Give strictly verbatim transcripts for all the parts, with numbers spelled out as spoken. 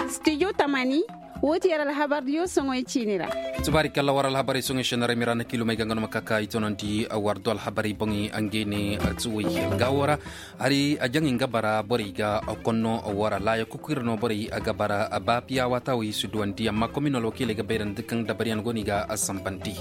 Studio tamani, woo ti yer alhabardiyo soŋoy ciini ra. Subaari kalla war alhabarey soŋoy seenaray mira na kiilumey ga nga no ma ka ka i tonandi war do alhabarey boŋey. Ngey ne tuwey gaawo ra hari a jaŋ nga bara borey ga konno war a laaya kuku ira no borey ga bara ba piya waata wey si duwandi amma komin alwakiiley ga bayrandi kaŋ dabaryaŋ go no i ga sambandi.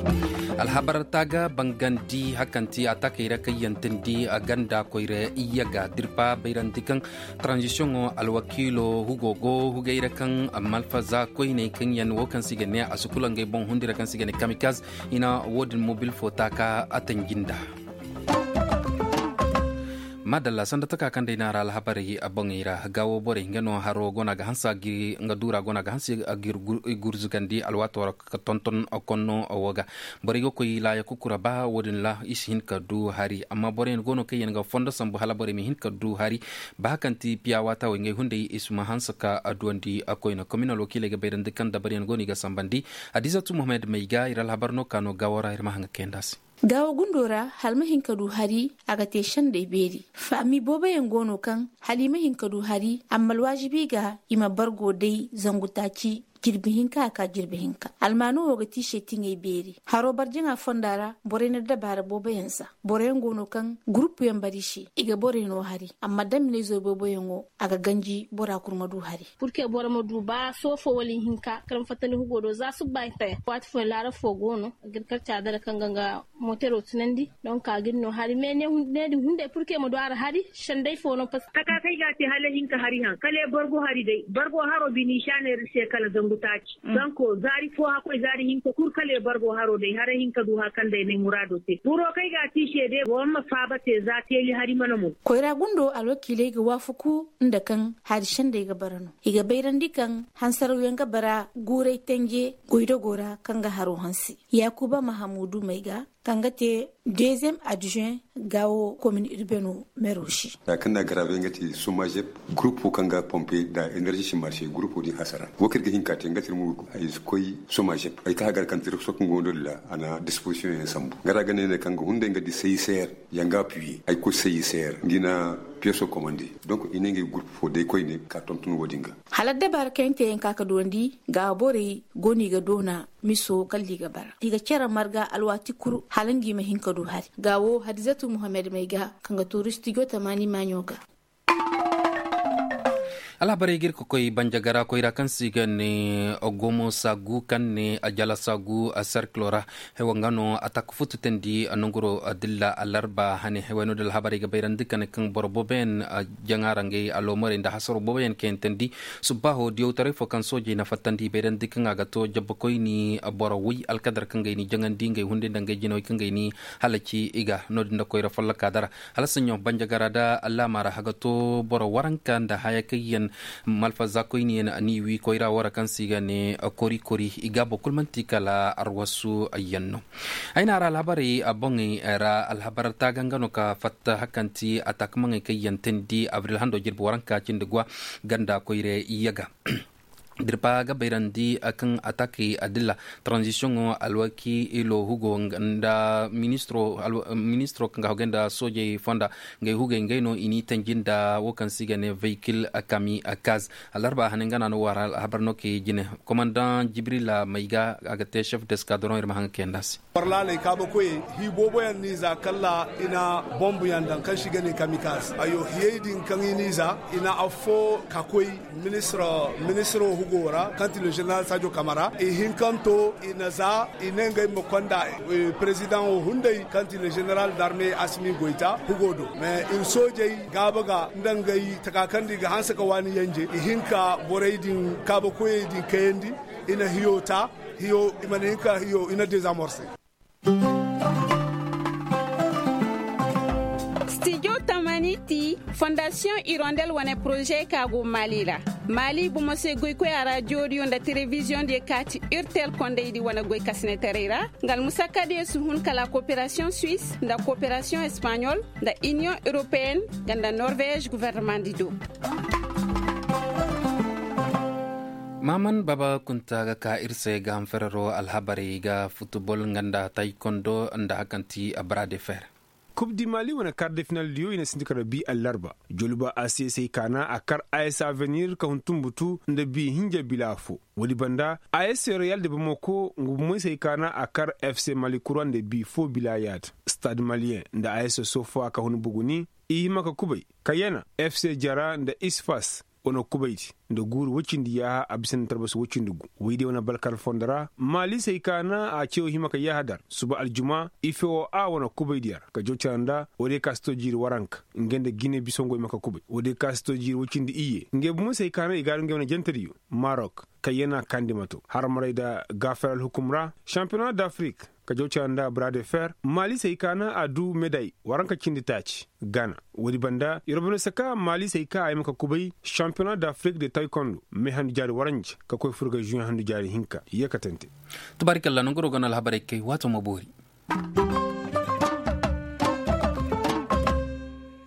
Alhabar taaga bangandi hakanti a taakey ra kaŋ yaŋ teendi ganda koyra iyya ga dirpa bayrandi kaŋ tranzisiyoŋo alwakiilo hugo go hugay ra kaŋ malfaza koyney kaŋ yaŋ wo kaŋ se i ga ne a si kula ngey boŋ hundi ra kaŋ se i ga ne kamikaz. I na wo-din mobil fo taaka a tanji nda. Maadalla sanda taka kaŋ day no a ra alhabarey boŋey ra gaawo borey nga no haro go no a ga hanse a ga nga duura go no a ga hanse a ga ir gurzugandi alwaato ra ka tonton konno wo ga. Borey ga koy laaya kukura ba wo-din ra i si hin ka du hari amma boroyaŋ go no kaŋ yaŋ ga fondo sambu hala borey ma hin ka du hari. Ba kaŋ ti piya waata wey ngey hunday i si ma hanse ka a duwandi a koyne komin alwakiiley ga bayrandi kaŋ dabaryaŋ go no i ga sambandi. Hadizatu muhammad may ga ir alhabar no ka no gaawo ra ir ma haŋ ga kayandi a se. Gaawo gundo ra hala ma hin ka du hari a ga te sendey beeri faami booboyaŋ go no kaŋ hala i ma hin ka du hari amma alwaajibi ga i ma bargo day zangu taaci jirbi hinka a ka jirbi hinka almaano wo ga ti i se tiŋey beeri haro barjaŋa fonda ra borey na dabaara booboyaŋ za boroyaŋ go no kaŋ gurupuyaŋ bara i se i ga borey no hari amma damminey zo booboyaŋo a ga ganji bora kul ma du hari. Purke boro ma du ba soofo wala ihinka kala ma fattandi hugo do za subba i taya waati fooyaŋ laarab fo go no a ga ir karca dara kaŋ ga nga mootero tunandi donk a ga ir no hari me ne din hunday purke ma du a ra hari sendey fo no pas. Taka kaŋ ay ga a te hala ihinka hari haŋ kala ay bargo hari day bargo haro bini i si a neera ir se kala zangu taaci. Donk zaari fo hakkoy zaari hinka kul kala ay bargo haro day haray hinka du hara kaŋ day n'ay muraado te boro kaŋ ay ga a te i se day boro ma faaba te za teeli hari mana mo. Koyra gundo alwakiiley ga waafaku nda kaŋ hari sendey ga bara no i ga bayrandi kaŋ hansarawyaŋ ga bara guuray tanje goydogo ra kaŋ ga haro hanse yaakuba mahamuudu may ga kaŋ ga te deziyem adjuwen gaawo komin irbeno mero se. Za kaŋ na garabe nga ti somajep gurupo kaŋ ga pompe nda enerzi si marse gurupo din hasara wo kaŋ ir ga hin ka te nga ti ir mo ay si koy somajep ay ka hagar kaŋ ti ir soka nga wando dila a na dispozisiyoŋ yaŋ sambu nga ra ga ne ne kaŋ ga hunday nga di seyiseer yaŋ ga apuye ay koy seyiseer nga i na piyeso komande. Donk i ne nga gurupo day koyne ka tonton wo-din ga. Hala addabaara kaŋ yaŋ te yaŋ ka ka duwandi ga borey go no i ga doona miso kala i ga bara i ga cere marga alwaati kul hala nga i ma hin ka du hari ga wo hadizatu muhammad may ga kaŋ ga tuuri stijo tamaani maaɲo ga. Alhabarey ga ir ka koy banjagara koyra kaŋ se i ga ne gomo saagu kaŋ ne jala saagu serkilo ra. Hewa nga no a taka futu teendi nonguro dilla alarba hane hewa no da alhabarey ga bayrandi kane kaŋ boro booboyaŋ jaŋa ra ngey aloomorey nda hasaro booboyaŋ kaŋ yaŋ teendi. Subbaaho diyawtaray fo kaŋ soojey na fattandi i bayrandi kaŋ a ga to jabbakoyni boro way alkadar kaŋ ga ay ni jaŋandi ngey hunday nda ngey jinawey kaŋ ga ay ni halaci i ga no- din nda koyra folloka dara. Hala saɲɲo banjagara nda allaama ra a ga to boro waranka nda haya kaŋ yaŋ malfazaakoyni yaŋ ni wi koyra wo ra kaŋ se i ga ne kori kori i gaabo kul man'ti kala arwasu yaŋ no. Ay na a ra alhabarey boŋey ra alhabar taaga nga no ka fatta hakanti a taakamaŋey kaŋ yaŋ teendi abril hando jirbi waranka cindi gwa ganda koyra yaga. Dirpa ga bayrandi kaŋ atakey adilla tranzisiyoŋo alwakiilo hugo nda ministiro kaŋ ga hogay nda soojey fonda ngey hugey ngey no i n'i tanji nda wo kaŋ se i ga ne vehikil kami kaz. Alarba hane nga na no wara alhabar no kay jine komandaŋ jibrila may ga a ga te chef d'eskadron ir ma haŋ ga kayandi a se. Barlaaley kaabakoyey hii booboyaŋ n'i za kalla i na bombuyaŋ daŋ kaŋ se i ga ne kamikaas ayo hiyey din kaŋ i n'i za i na affoo ka koy ministiro hugo ra kaŋ ti le jeneral sadio kamara i hinkanto i na za i ne ngey ma konda perezidaŋo hunday kaŋ ti le jeneral darme asimi goyta hugo do mais ir soojey gaaba ga nda ngey taka kaŋ da i ga hanse ka waani yanje i hin ka borey din kaabakoyey din kayandi i na hiyo ta hiyo i mana hin ka hiyo i na dezamorse. Studio tamani ti fondasiyoŋ irondel wane poroze ka go mali ra. Mali bomo se goykoya ra jooriyo nda telebiziyoŋ diyo ka ti urtel kondaydi wane goy kasinetaray ra nga almusakka diyo si hun kala koperasiyoŋ suwis nda koperasiyoŋ espaɲol nda iniyoŋ europeyen nga nda norvez guvernamandi do. Maaman baba kunta ga ka ir se ga ham ferero alhabarey ga futubol nga nda taykondo nda hakanti brade fer. Kub di mali wane kar de final diyo i na sinti kar da bi allarba. Joluba a se se i kaana a kar a s avenir ka hun tumbutu nda bi hinja bila fo. Woodi banda a s reyal de bamako nga bumey se i kaana a kar f c mali kura nda bi fo bila yaada. Stade malien nda a s sofa ka hun buguni. I hima ka kubay kayana f c jara nda isfas. Wane kubaydi nda guuru woy cindi yaaha a bisa nda tarbasi woy cindi gu. Woy day wane balkar fondo ra maali se hay ka na a ceewo hima ka yaaha dar suba aljuma. Ifewo a wane kubaydi yar ka jaw cara nda woy day ka si to jiiri waranka. Ngey nda gine bisongo i ma ka kubay woy day ka si to jiiri woy cindi iyye ngey bumo se hay ka na i gaaru ngey wane jantediyo. Marok kayyana kandi mato harmaray nda gaafar alhukum ra. Shampiyona d'afrik ka jaw cara nda bras de fer maali se hay ka na a du meday waranka cindi taaci. Gana woodi banda yer banda saka maali se hay ka a yamma ka kubay. Shampiyona d'afrik de taykondo me handu jaari waranja ka koy furga žuyen handu jaari hinka. Ye katante. Tubaarikalla nanguroo ga no alhabarey kay waato ma boori.